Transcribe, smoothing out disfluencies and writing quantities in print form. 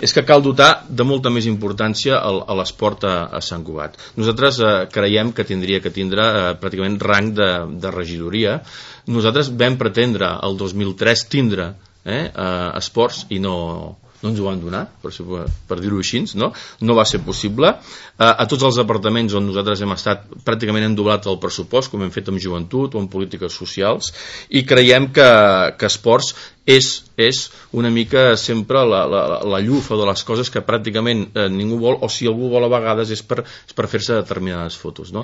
És que cal dotar de molta més importància a l'esport a Sant Cugat. Nosaltres creiem que tindria que tindre pràcticament rang de regidoria. Nosaltres vam pretendre el 2003 tindre esports i no ens ho van donar, per dir-ho així, no va ser possible. A tots els departaments on nosaltres hem estat pràcticament hem doblat el pressupost, com hem fet amb joventut o en polítiques socials, i creiem que esports és una mica sempre la llufa de les coses que pràcticament ningú vol, o si algú vol a vegades és per fer-se determinades fotos.